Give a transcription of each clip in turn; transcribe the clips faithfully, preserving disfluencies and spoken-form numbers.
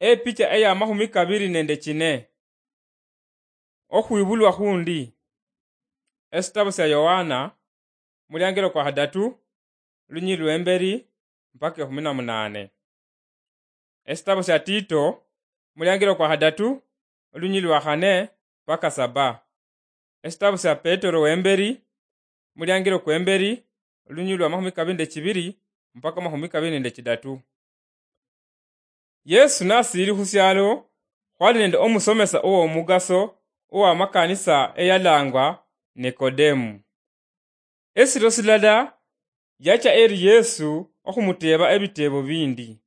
Epicha eya mahumi kabiri nende chine. Okhwibulwa khundi. Esitabu sia Yohana, muliangilo kwa khadatu, lunyili lwemberi mpaka ekhumi na munane. Esitabu sia Tito, muliangilo kwa khadatu, lunyili lwa khane mpaka saba. Esitabu sia Petero wemberi, muliangilo kwemberi, lunyili lwa mahumi kabiri nende chibiri mpaka mahumi kabiri nende chidatu. Yesu nasiili khu syalo, khwali nende omusomesa ow'omugaso ow'amakanisa eyalangwa Nikodemu. Esiro silala yacha eri Yesu okhumuteeba ebiteebo bindi.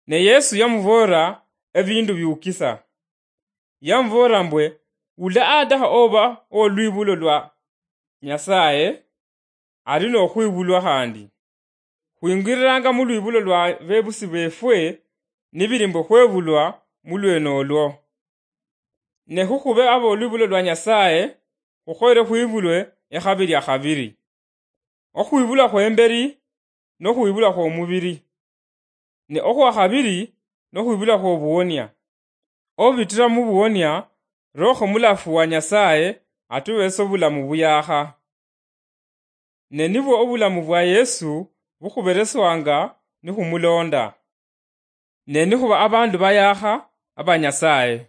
Ne Yesu yamuboolera ebiindu biukisa. Yamuboolera mbwe, wula adakha oba ow'olwibulo lwa Nyasaye, ali nokhwibulwa khandi. Khwingililanga mu lwibulo lwa bebusi befwe nibili mbu khwebulwa mu lwene olwo. Ne khukhube abolwibulo lwa Nyasaye, khukhoyere khwibulwe ekhabili akhabili. Okhwibulwa khwembeli nokhwibulwa khwomubili, ne okhwakhabili nokhwibulwa khwobuwonia. Obitira mubuwonia, Roho Mulafu wa Nyasaye atubesa obulamu buyakha. Ne nibwo obulamu bwa Yesu bukhubereswanga nikhumulonda. Ne nikhuba abandu bayakha aba Nyasaye.